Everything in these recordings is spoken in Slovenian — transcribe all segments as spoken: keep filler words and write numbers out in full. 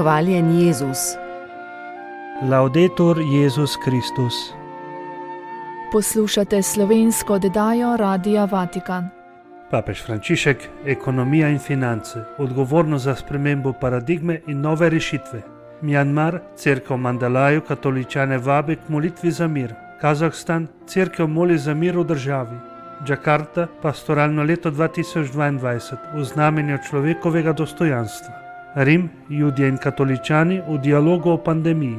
Hvaljen Jezus. Laudetur Jezus Kristus. Poslušate slovensko oddajo Radia Vatikan. Papež Frančišek, ekonomija in finance, odgovornost za spremembo paradigme in nove rešitve. Mjanmar, cerkev Mandalaju, katoličane vabi k molitvi za mir. Kazahstan, cerkev moli za mir v državi. Džakarta, pastoralno leto dva tisoč dvaindvajset, v znamenju človekovega dostojanstva. Rim, Judje in katoličani v dialogu o pandemiji.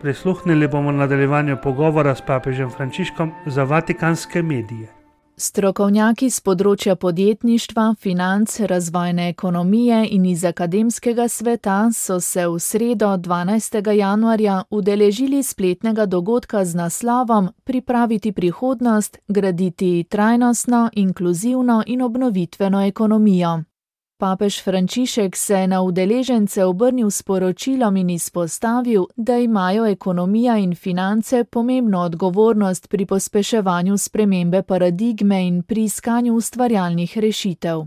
Prisluhnili bomo nadaljevanju pogovora s papežem Frančiškom za vatikanske medije. Strokovnjaki z področja podjetništva, financ, razvojne ekonomije in iz akademskega sveta so se v sredo dvanajstega januarja udeležili spletnega dogodka z naslovom Pripraviti prihodnost, graditi trajnostno, inkluzivno in obnovitveno ekonomijo. Papež Frančišek se je na udeležence obrnil s poročilom in izpostavil, da imajo ekonomija in finance pomembno odgovornost pri pospeševanju spremembe paradigme in pri iskanju ustvarjalnih rešitev.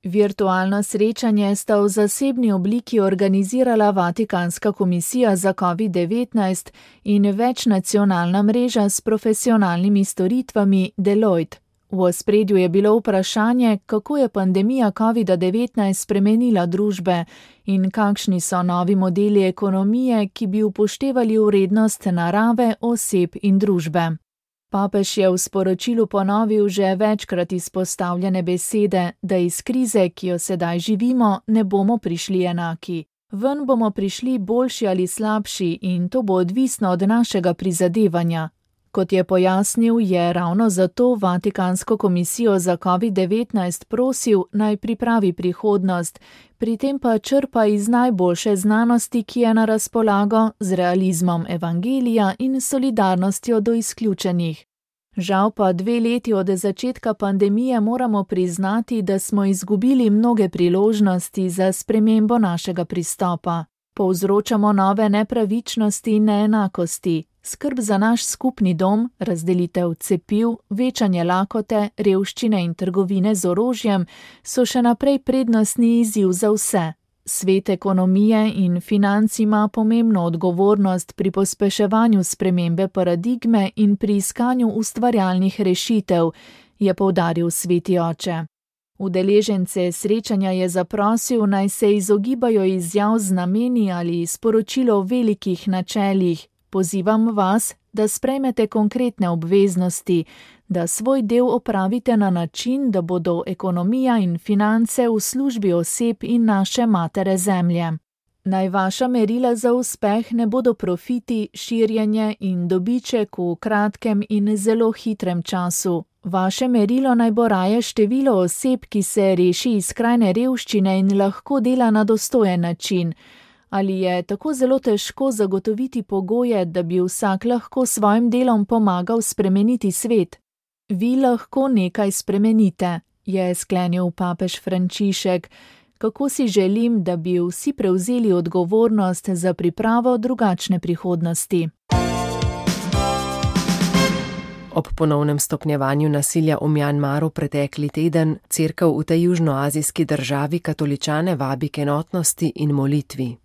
Virtualno srečanje sta v zasebni obliki organizirala Vatikanska komisija za covid devetnajst in večnacionalna mreža s profesionalnimi storitvami Deloitte. V ospredju je bilo vprašanje, kako je pandemija covid devetnajst spremenila družbe in kakšni so novi modeli ekonomije, ki bi upoštevali vrednost narave, oseb in družbe. Papež je v sporočilu ponovil že večkrat izpostavljene besede, da iz krize, ki jo sedaj živimo, ne bomo prišli enaki. Ven bomo prišli boljši ali slabši in to bo odvisno od našega prizadevanja. Kot je pojasnil, je ravno zato Vatikansko komisijo za covid devetnajst prosil, naj pripravi prihodnost, pri tem pa črpa iz najboljše znanosti, ki je na razpolago, z realizmom evangelija in solidarnostjo do izključenih. Žal pa dve leti od začetka pandemije moramo priznati, da smo izgubili mnoge priložnosti za spremembo našega pristopa. Povzročamo nove nepravičnosti in neenakosti. Skrb za naš skupni dom, razdelitev cepiv, večanje lakote, revščine in trgovine z orožjem so še naprej prednostni izziv za vse. Svet ekonomije in financ ima pomembno odgovornost pri pospeševanju spremembe paradigme in pri iskanju ustvarjalnih rešitev, je poudaril sveti oče. Udeležence srečanja je zaprosil, naj se izogibajo izjav z nameni ali sporočilo o velikih načelih. Pozivam vas, da sprejmete konkretne obveznosti, da svoj del opravite na način, da bodo ekonomija in finance v službi oseb in naše matere zemlje. Naj vaša merila za uspeh ne bodo profiti, širjenje in dobiček v kratkem in zelo hitrem času. Vaše merilo naj bo raje število oseb, ki se reši iz skrajne revščine in lahko dela na dostojen način. Ali je tako zelo težko zagotoviti pogoje, da bi vsak lahko svojim delom pomagal spremeniti svet? Vi lahko nekaj spremenite, je sklenil papež Frančišek. Kako si želim, da bi vsi prevzeli odgovornost za pripravo drugačne prihodnosti. Ob ponovnem stopnjevanju nasilja v Mjanmaru pretekli teden cerkev v tej južnoazijski državi katoličane vabi k enotnosti in molitvi.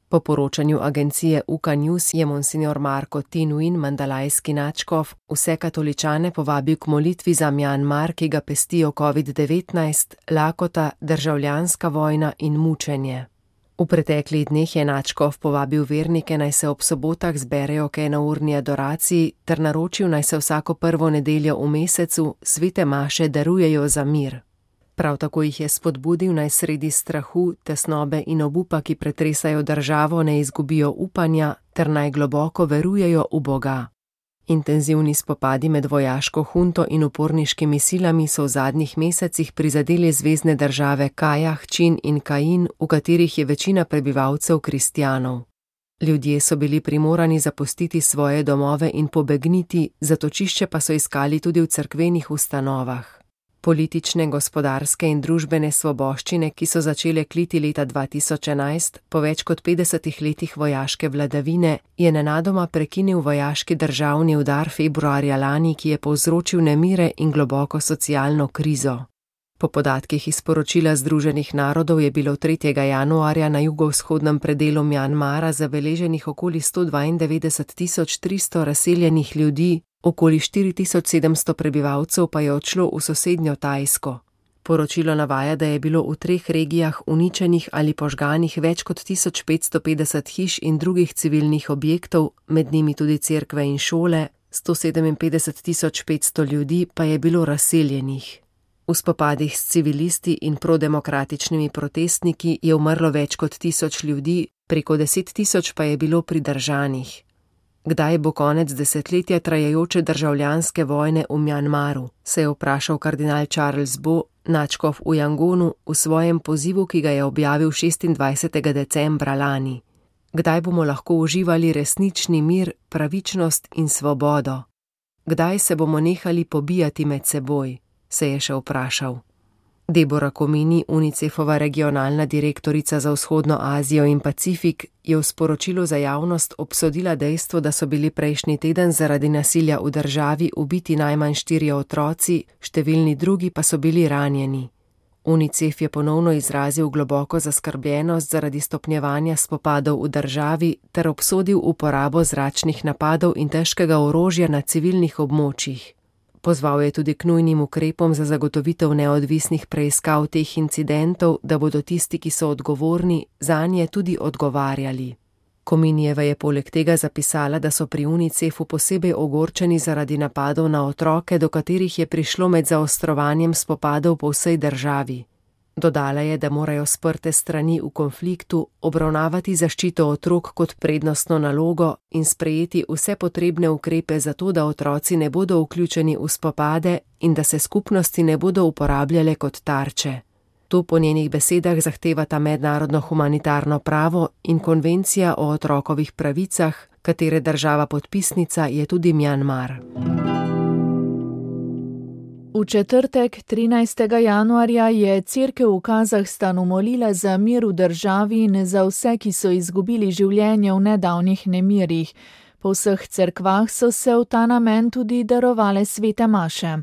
Po poročanju agencije U K News je monsignor Marko Tinuin, mandalajski nadškof, vse katoličane povabil k molitvi za Mjanmar, ki ga pestijo covid devetnajst, lakota, državljanska vojna in mučenje. V preteklih dneh je nadškof povabil vernike, naj se ob sobotah zberejo k enourni adoraciji, ter naročil, naj se vsako prvo nedeljo v mesecu svete maše darujejo za mir. Prav tako jih je spodbudil, naj sredi strahu, tesnobe in obupa, ki pretresajo državo, ne izgubijo upanja, ter naj globoko verujejo v Boga. Intenzivni spopadi med vojaško hunto in uporniškimi silami so v zadnjih mesecih prizadeli zvezne države Kajah, Čin in Kain, v katerih je večina prebivalcev kristjanov. Ljudje so bili primorani zapustiti svoje domove in pobegniti, zatočišče pa so iskali tudi v cerkvenih ustanovah. Politične, gospodarske in družbene svoboščine, ki so začele kliti leta dva tisoč enajst, po več kot petdesetih letih vojaške vladavine, je nenadoma prekinil vojaški državni udar februarja lani, ki je povzročil nemire in globoko socialno krizo. Po podatkih iz poročila Združenih narodov je bilo tretjega januarja na jugovzhodnem predelu Mjanmara zabeleženih okoli sto dvaindevetdeset tisoč tristo razseljenih ljudi, okoli štiri tisoč sedemsto prebivalcev pa je odšlo v sosednjo Tajsko. Poročilo navaja, da je bilo v treh regijah uničenih ali požganih več kot tisoč petsto petdeset hiš in drugih civilnih objektov, med njimi tudi cerkve in šole, sto sedeminpetdeset tisoč petsto ljudi pa je bilo razseljenih. V spopadih s civilisti in prodemokratičnimi protestniki je umrlo več kot tisoč ljudi, preko deset tisoč pa je bilo pridržanih. Kdaj bo konec desetletja trajajoče državljanske vojne v Mjanmaru, se je vprašal kardinal Charles Bo, nadškof v Jangonu, v svojem pozivu, ki ga je objavil šestindvajsetega decembra lani. Kdaj bomo lahko uživali resnični mir, pravičnost in svobodo? Kdaj se bomo nehali pobijati med seboj? Se je še vprašal. Deborah Komini, UNICEF-ova regionalna direktorica za vzhodno Azijo in Pacifik, je v sporočilu za javnost obsodila dejstvo, da so bili prejšnji teden zaradi nasilja v državi ubiti najmanj štirje otroci, številni drugi pa so bili ranjeni. UNICEF je ponovno izrazil globoko zaskrbljenost zaradi stopnjevanja spopadov v državi ter obsodil uporabo zračnih napadov in težkega orožja na civilnih območjih. Pozval je tudi k nujnim ukrepom za zagotovitev neodvisnih preiskav teh incidentov, da bodo tisti, ki so odgovorni, zanje tudi odgovarjali. Kominijeva je poleg tega zapisala, da so pri UNICEF-u posebej ogorčeni zaradi napadov na otroke, do katerih je prišlo med zaostrovanjem spopadov po vsej državi. Dodala je, da morajo sprte strani v konfliktu obravnavati zaščito otrok kot prednostno nalogo in sprejeti vse potrebne ukrepe za to, da otroci ne bodo vključeni v spopade in da se skupnosti ne bodo uporabljale kot tarče. To po njenih besedah zahtevata mednarodno humanitarno pravo in konvencija o otrokovih pravicah, katere država podpisnica je tudi Mjanmar. V četrtek, trinajstega januarja, je cerkev v Kazahstanu molila za mir v državi in za vse, ki so izgubili življenje v nedavnih nemirih. Po vseh cerkvah so se v ta namen tudi darovale svete maše.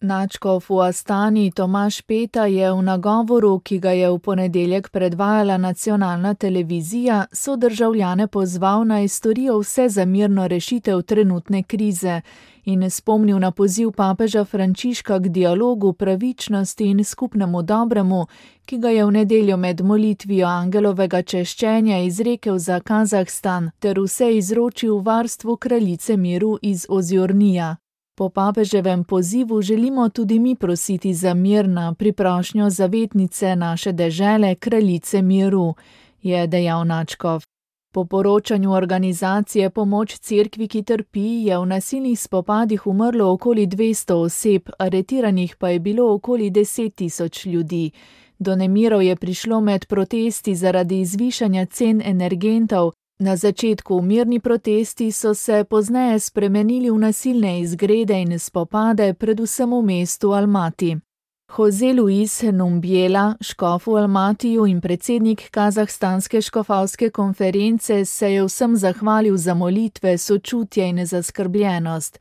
Nadškof v Astani Tomaž Peta je v nagovoru, ki ga je v ponedeljek predvajala nacionalna televizija, sodržavljane pozval naj storijo vse za mirno rešitev trenutne krize in spomnil na poziv papeža Frančiška k dialogu, pravičnosti in skupnemu dobremu, ki ga je v nedeljo med molitvijo angelovega češčenja izrekel za Kazahstan ter vse izročil v varstvu kraljice miru iz Ozjornija. Po papeževem pozivu želimo tudi mi prositi za mir na priprošnjo zavetnice naše dežele, kraljice miru, je dejal nadškof. Po poročanju organizacije Pomoč cerkvi, ki trpi, je v nasilnih spopadih umrlo okoli dvesto oseb, aretiranih pa je bilo okoli deset tisoč ljudi. Do nemirov je prišlo med protesti zaradi zvišanja cen energentov. Na začetku mirni protesti so se pozneje spremenili v nasilne izgrede in spopade, predvsem v mestu Almati. Jose Luis Numbiela, škof v Almatiju in predsednik Kazahstanske škofovske konference, se je vsem zahvalil za molitve, sočutje in zaskrbljenost.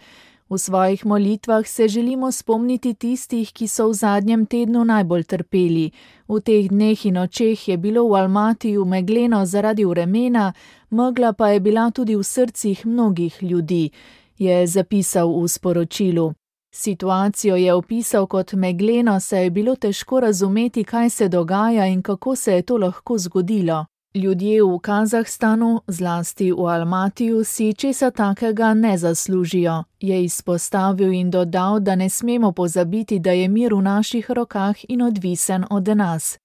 V svojih molitvah se želimo spomniti tistih, ki so v zadnjem tednu najbolj trpeli. V teh dneh in nočeh je bilo v Almatiju megleno zaradi vremena, megla pa je bila tudi v srcih mnogih ljudi, je zapisal v sporočilu. Situacijo je opisal kot megleno, saj je bilo težko razumeti, kaj se dogaja in kako se je to lahko zgodilo. Ljudje v Kazahstanu, zlasti v Almatiju, si česa takega ne zaslužijo, je izpostavil in dodal, da ne smemo pozabiti, da je mir v naših rokah in odvisen od nas.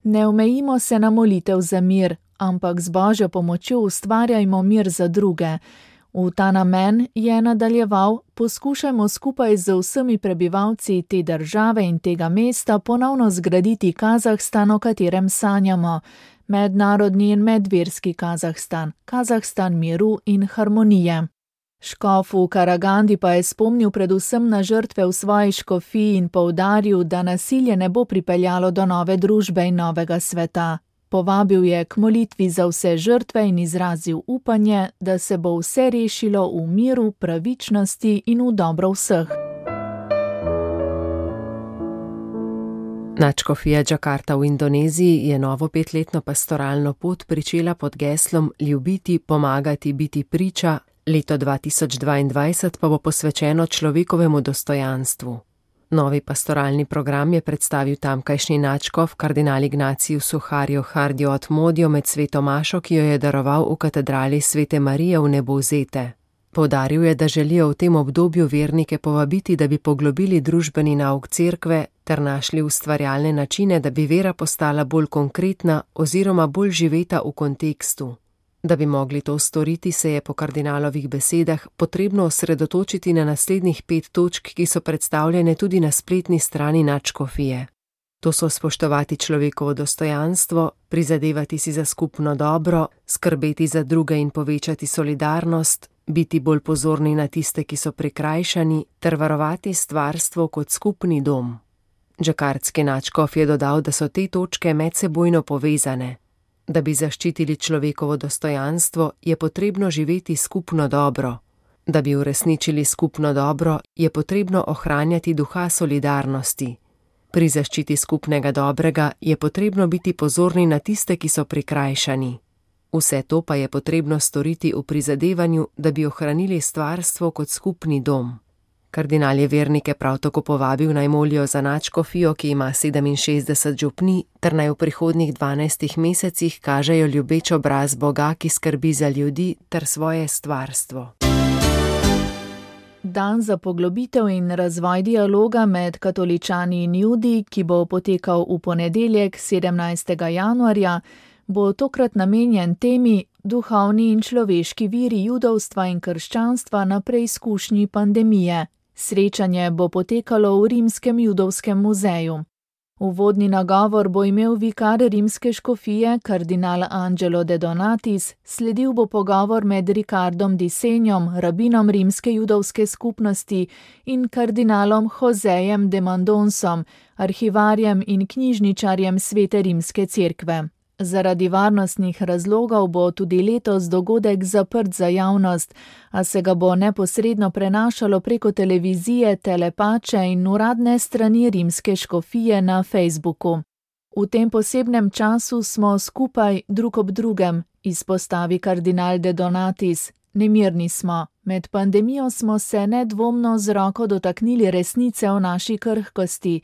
Ne omejimo se na molitev za mir, ampak z Božjo pomočjo ustvarjajmo mir za druge. V ta namen, je nadaljeval, poskušajmo skupaj z vsemi prebivalci te države in tega mesta ponovno zgraditi Kazahstan, o katerem sanjamo. Mednarodni in medverski Kazahstan, Kazahstan miru in harmonije. Škof v Karagandi pa je spomnil predvsem na žrtve v svoji škofiji in poudaril, da nasilje ne bo pripeljalo do nove družbe in novega sveta. Povabil je k molitvi za vse žrtve in izrazil upanje, da se bo vse rešilo v miru, pravičnosti in v dobro vseh. Nadškofija Džakarta v Indoneziji je novo petletno pastoralno pot pričela pod geslom Ljubiti, pomagati, biti priča, leto dva tisoč dvaindvajset pa bo posvečeno človekovemu dostojanstvu. Novi pastoralni program je predstavil tamkajšnji nadškof kardinal Ignaciju Suharjo Hardjo Atmodjo med sveto mašo, ki jo je daroval v katedrali Svete Marije v Nebozete. Poudaril je, da želijo v tem obdobju vernike povabiti, da bi poglobili družbeni nauk cerkve ter našli ustvarjalne načine, da bi vera postala bolj konkretna oziroma bolj živeta v kontekstu. Da bi mogli to storiti, se je po kardinalovih besedah potrebno osredotočiti na naslednjih pet točk, ki so predstavljene tudi na spletni strani nadškofije. To so spoštovati človekovo dostojanstvo, prizadevati si za skupno dobro, skrbeti za druge in povečati solidarnost, biti bolj pozorni na tiste, ki so prikrajšani, ter varovati stvarstvo kot skupni dom. Džakartski nadškof je dodal, da so te točke medsebojno povezane. Da bi zaščitili človekovo dostojanstvo, je potrebno živeti skupno dobro. Da bi uresničili skupno dobro, je potrebno ohranjati duha solidarnosti. Pri zaščiti skupnega dobrega je potrebno biti pozorni na tiste, ki so prikrajšani. Vse to pa je potrebno storiti v prizadevanju, da bi ohranili stvarstvo kot skupni dom. Kardinal je vernike prav tako povabil naj molijo za nadškofijo, ki ima sedeminšestdeset župnij, ter naj v prihodnjih dvanajstih mesecih kažejo ljubeč obraz Boga, ki skrbi za ljudi ter svoje stvarstvo. Dan za poglobitev in razvoj dialoga med katoličani in Judi, ki bo potekal v ponedeljek sedemnajstega januarja, bo tokrat namenjen temi duhovni in človeški viri judovstva in krščanstva na preizkušnji pandemije. Srečanje bo potekalo v Rimskem judovskem muzeju. Uvodni nagovor bo imel vikar rimske škofije kardinal Angelo de Donatis, sledil bo pogovor med Ricardom di Senjom, rabinom rimske judovske skupnosti, in kardinalom Josejem de Mandonsom, arhivarjem in knjižničarjem Svete rimske cerkve. Zaradi varnostnih razlogov bo tudi letos dogodek zaprt za javnost, a se ga bo neposredno prenašalo preko televizije, telepače in uradne strani rimske škofije na Facebooku. V tem posebnem času smo skupaj drug ob drugem, izpostavi kardinal de Donatis. Nemirni smo. Med pandemijo smo se nedvomno z roko dotaknili resnice o naši krhkosti,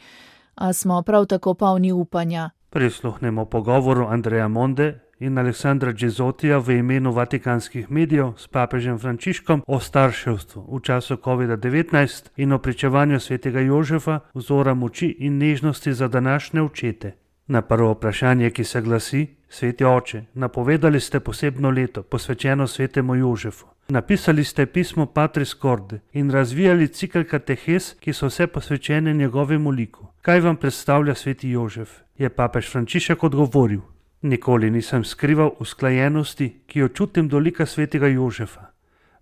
a smo prav tako polni upanja. Prisluhnemo pogovoru Andreja Monde in Aleksandra Džezotija v imenu vatikanskih medijev s papežem Frančiškom o starševstvu v času kovida devetnajst in o pričevanju svetega Jožefa, vzora moči in nežnosti za današnje očete. Na prvo vprašanje, ki se glasi: Sveti oče, napovedali ste posebno leto, posvečeno svetemu Jožefu. Napisali ste pismo Patris Corde in razvijali cikl katehes, ki so vse posvečene njegovemu liku. Kaj vam predstavlja sveti Jožef? Je papež Frančišek odgovoril: Nikoli nisem skrival usklajenosti, ki jo čutim do lika svetega Jožefa.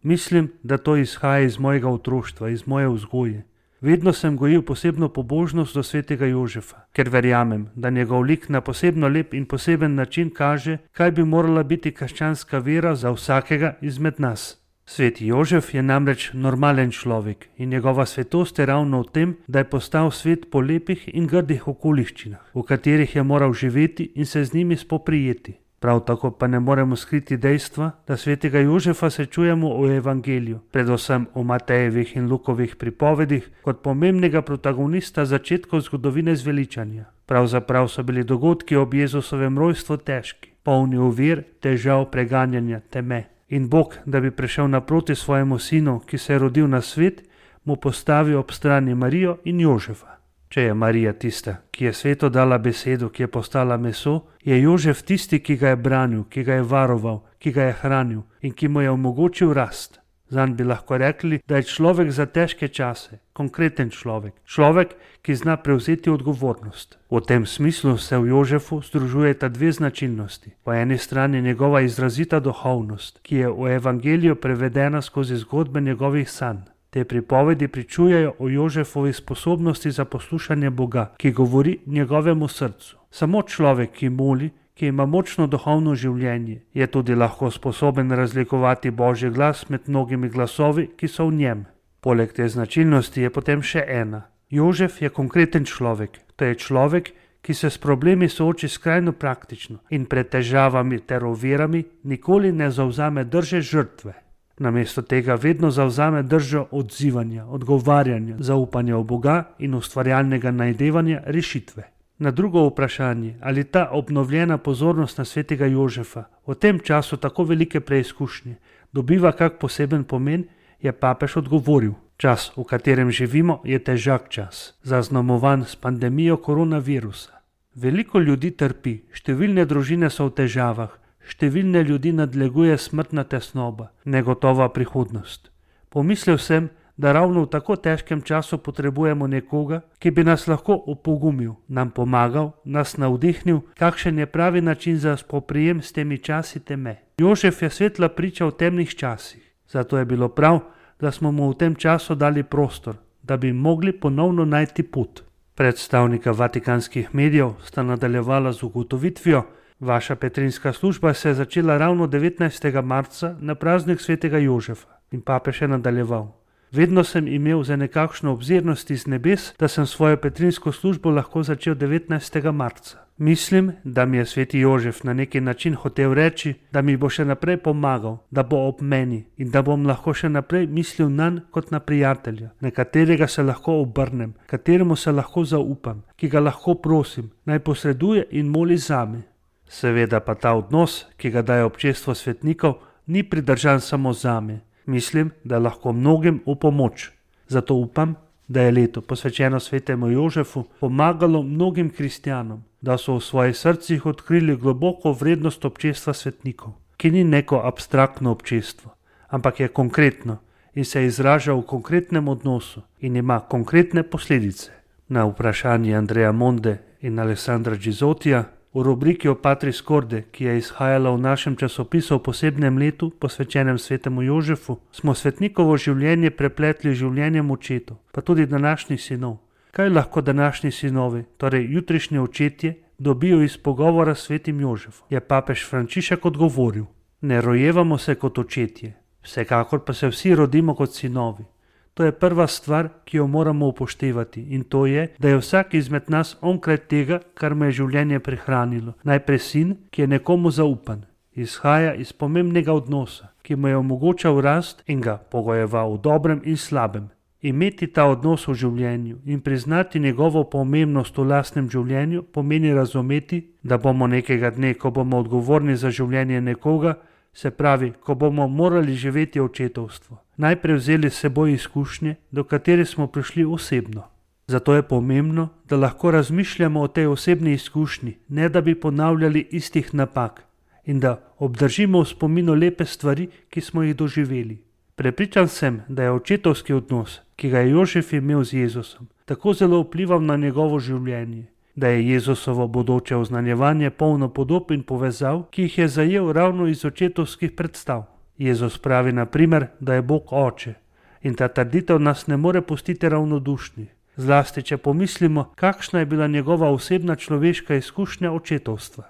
Mislim, da to izhaja iz mojega otroštva, iz moje vzgoje. Vedno sem gojil posebno pobožnost do svetega Jožefa, ker verjamem, da njegov lik na posebno lep in poseben način kaže, kaj bi morala biti krščanska vera za vsakega izmed nas. Sveti Jožef je namreč normalen človek in njegova svetost je ravno v tem, da je postal svet po lepih in grdih okoliščinah, v katerih je moral živeti in se z njimi spoprijeti. Prav tako pa ne moremo skriti dejstva, da svetega Jožefa srečujemo v evangeliju, predvsem v Matejevih in Lukovih pripovedih, kot pomembnega protagonista začetkov zgodovine zveličanja. Pravzaprav so bili dogodki ob Jezusovem rojstvu težki, polni ovir, težav, preganjanja, teme. In Bog, da bi prišel naproti svojemu sinu, ki se je rodil na svet, mu postavi ob strani Marijo in Jožefa. Če je Marija tista, ki je svetu dala besedo, ki je postala meso, je Jožef tisti, ki ga je branil, ki ga je varoval, ki ga je hranil in ki mu je omogočil rast. Zanj bi lahko rekli, da je človek za težke čase, konkreten človek, človek, ki zna prevzeti odgovornost. V tem smislu se v Jožefu združujeta dve značilnosti. Po eni strani njegova izrazita duhovnost, ki je v evangeliju prevedena skozi zgodbe njegovih sanj. Te pripovedi pričujejo o Jožefovi sposobnosti za poslušanje Boga, ki govori njegovemu srcu. Samo človek, ki moli, ki ima močno duhovno življenje, je tudi lahko sposoben razlikovati Božji glas med mnogimi glasovi, ki so v njem. Poleg te značilnosti je potem še ena. Jožef je konkreten človek, to je človek, ki se s problemi sooči skrajno praktično in pred težavami ter ovirami nikoli ne zavzame drže žrtve. Namesto tega vedno zavzame držo odzivanja, odgovarjanja, zaupanja v Boga in ustvarjalnega najdevanja rešitve. Na drugo vprašanje, ali ta obnovljena pozornost na svetega Jožefa v tem času tako velike preizkušnje dobiva kak poseben pomen, je papež odgovoril: čas, v katerem živimo, je težak čas, zaznamovan s pandemijo koronavirusa. Veliko ljudi trpi, številne družine so v težavah, številne ljudi nadleguje smrtna tesnoba, negotova prihodnost. Pomislil sem, da ravno v tako težkem času potrebujemo nekoga, ki bi nas lahko opogumil, nam pomagal, nas navdihnil, kakšen je pravi način za spoprijem s temi časi teme. Jožef je svetla priča v temnih časih, zato je bilo prav, da smo mu v tem času dali prostor, da bi mogli ponovno najti pot. Predstavnika vatikanskih medijev sta nadaljevala z ugotovitvijo: vaša petrinska služba se je začela ravno devetnajstega marca na praznik svetega Jožefa. In papež je nadaljeval: vedno sem imel za nekakšno obzirnost iz nebes, da sem svojo petrinsko službo lahko začel devetnajstega marca. Mislim, da mi je sveti Jožef na neki način hotel reči, da mi bo še naprej pomagal, da bo ob meni in da bom lahko še naprej mislil nanj kot na prijatelja, na katerega se lahko obrnem, kateremu se lahko zaupam, ki ga lahko prosim, naj posreduje in moli zame. Seveda pa ta odnos, ki ga daje občestvo svetnikov, ni pridržan samo zame. Mislim, da lahko mnogim v pomoč. Zato upam, da je leto posvečeno svetemu Jožefu pomagalo mnogim kristjanom, da so v svojih srcih odkrili globoko vrednost občestva svetnikov, ki ni neko abstraktno občestvo, ampak je konkretno in se izraža v konkretnem odnosu in ima konkretne posledice. Na vprašanje Andreja Monde in Alessandra Gizotija v rubriki o Patris Corde, ki je izhajala v našem časopisu o posebnem letu posvečenem svetemu Jožefu, smo svetnikovo življenje prepletli življenjem očetov, pa tudi današnjih sinov. Kaj lahko današnji sinovi, torej jutrišnji očetje, dobijo iz pogovora s svetim Jožefom? Je papež Frančišek odgovoril: ne rojevamo se kot očetje, vsekakor pa se vsi rodimo kot sinovi. To je prva stvar, ki jo moramo upoštevati, in to je, da je vsak izmed nas onkraj tega, kar me je življenje prehranilo. Najprej sin, ki je nekomu zaupan, izhaja iz pomembnega odnosa, ki mu je omogočal rast in ga pogojeval v dobrem in slabem. Imeti ta odnos v življenju in priznati njegovo pomembnost v lastnem življenju pomeni razumeti, da bomo nekega dne, ko bomo odgovorni za življenje nekoga, se pravi, ko bomo morali živeti očetovstvo, najprej vzeli s seboj izkušnje, do katere smo prišli osebno. Zato je pomembno, da lahko razmišljamo o tej osebni izkušnji, ne da bi ponavljali istih napak, in da obdržimo v spominu lepe stvari, ki smo jih doživeli. Prepričan sem, da je očetovski odnos, ki ga je Jožef imel z Jezusom, tako zelo vplival na njegovo življenje, da je Jezusovo bodoče oznanjevanje polno podob in povezav, ki jih je zajel ravno iz očetovskih predstav. Jezus pravi na primer, da je Bog oče, in ta trditev nas ne more pustiti ravnodušnih, zlasti če pomislimo, kakšna je bila njegova osebna človeška izkušnja očetovstva.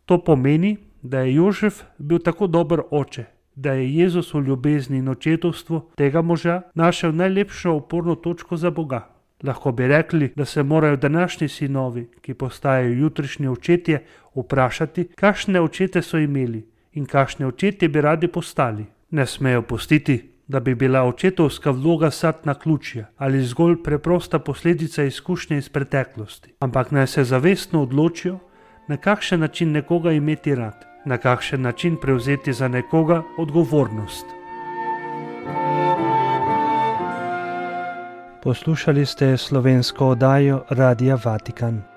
To pomeni, da je Jožef bil tako dober oče, da je Jezus v ljubezni in očetovstvu tega moža našel najlepšo oporno točko za Boga. Lahko bi rekli, da se morajo današnji sinovi, ki postajajo jutrišnji očetje, vprašati, kakšne očete so imeli in kakšne očetje bi radi postali. Ne smejo pustiti, da bi bila očetovska vloga sad naključja ali zgolj preprosta posledica izkušnje iz preteklosti, ampak naj se zavestno odločijo, na kakšen način nekoga imeti rad, na kakšen način prevzeti za nekoga odgovornost. Poslušali ste slovensko oddajo Radia Vatikan.